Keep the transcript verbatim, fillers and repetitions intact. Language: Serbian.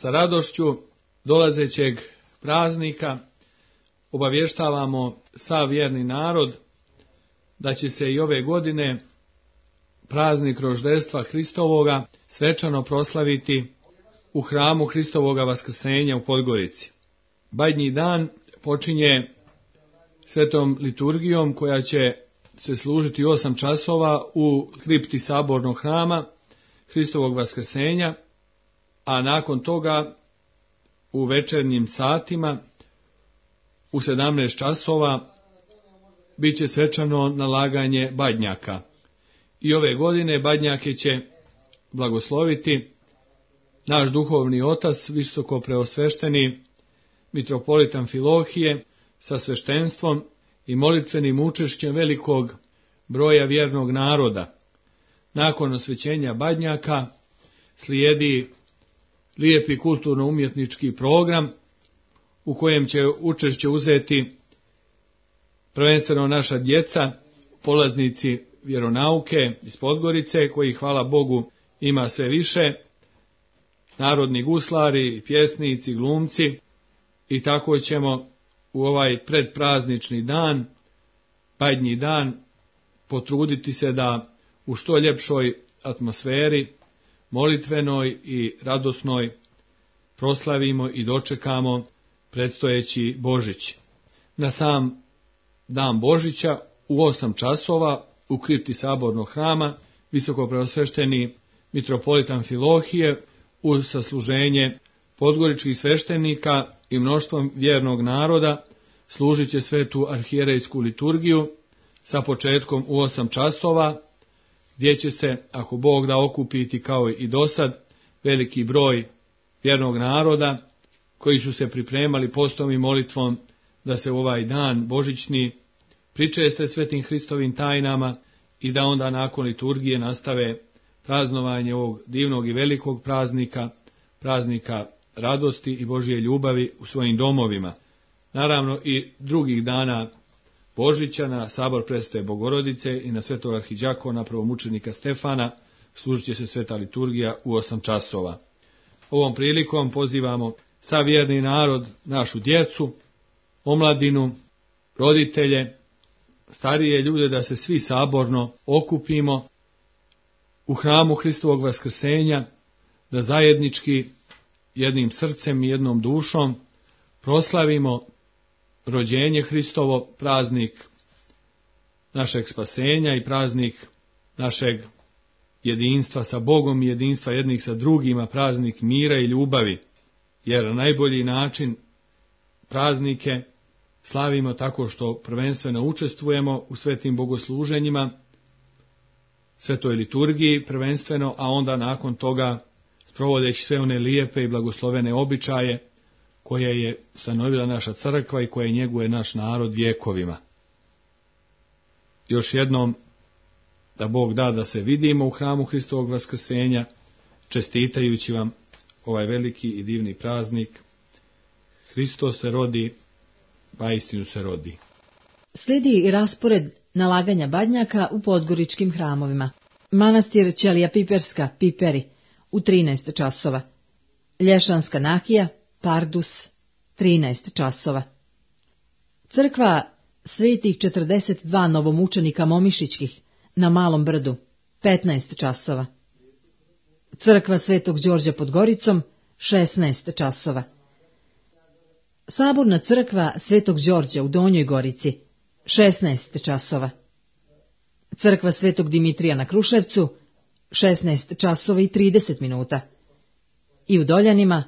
Sa radošću dolazećeg praznika obavještavamo sav vjerni narod da će se i ove godine praznik roždestva Hristovoga svečano proslaviti u hramu Hristovoga vaskrsenja u Podgorici. Badnji dan počinje svetom liturgijom koja će se služiti osam časova u kripti sabornog hrama Hristovog vaskrsenja, a nakon toga u večernjim satima u sedamnaest časova bit će svečano nalaganje badnjaka. I ove godine badnjake će blagosloviti naš duhovni otac, visoko preosvešteni mitropolit Amfilohije, sa sveštenstvom i molitvenim učešćem velikog broja vjernog naroda. Nakon osvećenja badnjaka slijedi lijepi kulturno-umjetnički program u kojem će učešće uzeti prvenstveno naša djeca, polaznici vjeronauke iz Podgorice, koji, hvala Bogu, ima sve više, narodni guslari, pjesnici, glumci, i tako ćemo u ovaj predpraznični dan, badnji dan, potruditi se da u što ljepšoj atmosferi, molitvenoj i radosnoj, proslavimo i dočekamo predstojeći Božić. Na sam dan Božića u osam časova u kripti sabornog hrama visoko preosvešteni mitropolit Amfilohije uz sasluženje podgoričkih sveštenika i mnoštvom vjernog naroda služit će svetu arhijerejsku liturgiju sa početkom u osam časova, gdje će se, ako Bog da, okupiti kao i dosad veliki broj vjernog naroda koji su se pripremali postom i molitvom da se u ovaj dan božićni pričeste svetim Hristovim tajnama i da onda nakon liturgije nastave praznovanje ovog divnog i velikog praznika, praznika radosti i Božje ljubavi u svojim domovima. Naravno i drugih dana Božića na sabor Presvete Bogorodice i na svetog arhidjakona prvomučenika Stefana služit će se sveta liturgija u osam časova. Ovom prilikom pozivamo sav vjerni narod, našu djecu, omladinu, roditelje, starije ljude da se svi saborno okupimo u hramu Hristovog vaskrsenja, da zajednički jednim srcem i jednom dušom proslavimo rođenje Hristovo, praznik našeg spasenja i praznik našeg jedinstva sa Bogom i jedinstva jednih sa drugima, praznik mira i ljubavi, jer na najbolji način praznike slavimo tako što prvenstveno učestvujemo u svetim bogosluženjima, svetoj liturgiji prvenstveno, a onda nakon toga sprovodeći sve one lijepe i blagoslovene običaje koje je ustanovila naša crkva i koje njeguje naš narod vjekovima. Još jednom, da Bog da da se vidimo u hramu Hristovog vaskrsenja, čestitajući vam ovaj veliki i divni praznik. Hristos se rodi, pa istinu se rodi. Slijedi i raspored nalaganja badnjaka u podgoričkim hramovima. Manastir Ćelija Piperska, Piperi, u trinaest časova. Lješanska Nakija, Pardus, trinaest časova. Crkva svetih četrdeset dva novomučenika Momišićkih na Malom Brdu, petnaest časova. Crkva Svetog Đorđa pod Goricom, šesnaest časova. Saborna crkva Svetog Đorđa u Donjoj Gorici, šesnaest časova. Crkva Svetog Dimitrija na Kruševcu, šesnaest časova i trideset minuta. I u Doljanima,